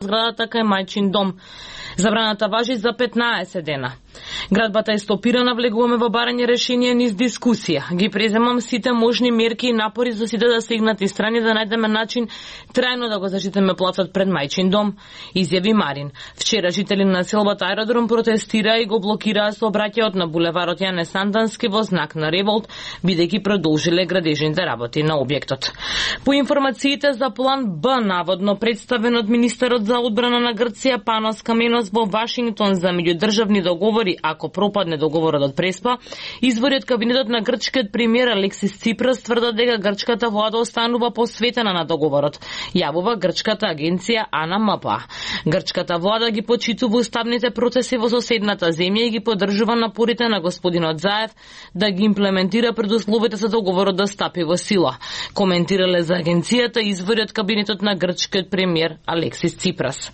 зградата кај мајчин дом. Забраната важи за 15 дена. Градбата е стопирана, влегуваме во барање решение низ дискусија. Ги преземам сите можни мерки и напори за сите да сегнати страни да најдеме начин трајно да го заштитиме плацот пред мајчин дом, изјави Марин. Вчера жители на селбата Аеродром протестираа и го блокираа сообраќајот на булеварот Јане Сандански во знак на револт, бидејќи продолжиле градежните работи на објектот. По информациите за план Б, наводно представен од министерот за одбрана на Грција Панос Каменос во Вашингтон за меѓудржавни договори, ако пропадне договорот од Преспа, извори од кабинетот на грчкиот премиер Алексис Ципрас тврдат дека грчката влада останува посветена на договорот, јавува грчката агенција АНМП. Грчката влада ги почитува уставните процеси во соседната земја и ги поддржува напорите на господинот Заев да ги имплементира предусловите за договорот да стапи во сила. Коментирале за агенцијата извори од кабинетот на грчкиот премиер Алексис Ципрас.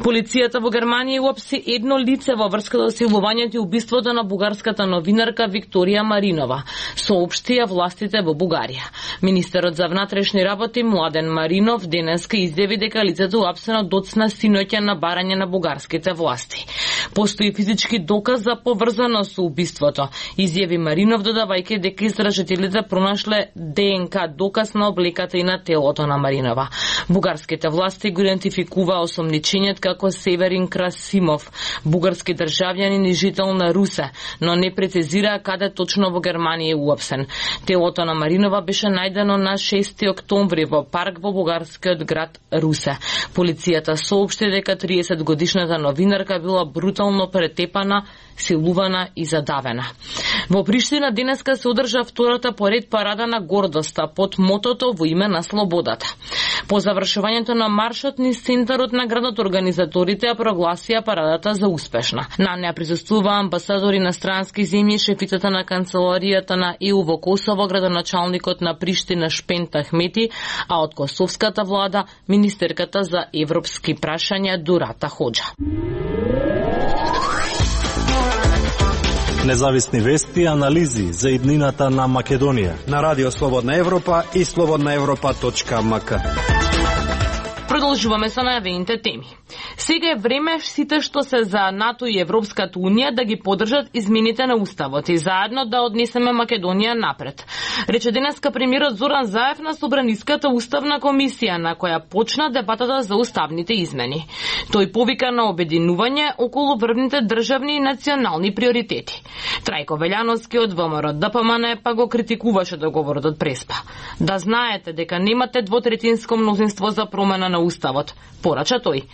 Полицијата во Германија уапси едно лице во врска со силувањето и убиството на бугарската новинарка Викторија Маринова, соопштија властите во Бугарија. Министерот за внатрешни работи Младен Маринов денеска изјави дека лицето уапсено доцна синоќа на барање на бугарските власти. Постои физички доказ за поврзаност со убиството, изјави Маринов, додавајќи дека истражителите пронашле ДНК доказ на облеката и на телото на Маринова. Бугарските власти го идентификуваа осомничениот како Северин Красимов, бугарски државјанин и жител на Русе, но не прецизираа каде точно во Германија е уапсен. Телото на Маринова беше најдено на 6 октомври во парк во бугарскиот град Русе. Полицијата соопшти дека 30-годишната новинарка била брутално претепана, силувана и задавена. Во Приштина денеска се одржа втората поред парада на гордоста под мотото во име на слободата. По завршувањето на маршот низ центарот на градот, организаторите ја прогласија парадата за успешна. На неа присуствуваа амбасадори на странски земји, шефицата на канцеларијата на ЕУ во Косово, градоначалникот на Приштина Шпент Ахмети, а од косовската влада министерката за европски прашања Дурата Хоџа. Независни вести и анализи за иднината на Македонија на Радио Слободна Европа и slobodnaevropa.mk. Продолжуваме со најавените теми. Сега е време сите што се за НАТО и Европската Унија да ги поддржат измените на Уставот и заедно да однесеме Македонија напред. Рече денеска премиерот Зоран Заев на Собраниската уставна комисија, на која почна дебатата за уставните измени. Тој повика на обединување околу врвните државни и национални приоритети. Трајко Велјановски од ВМРО ДПМН па го критикуваше договорот од Преспа. Да знаете дека немате двотретинско мнозинство за промена на Уставот, порача тој.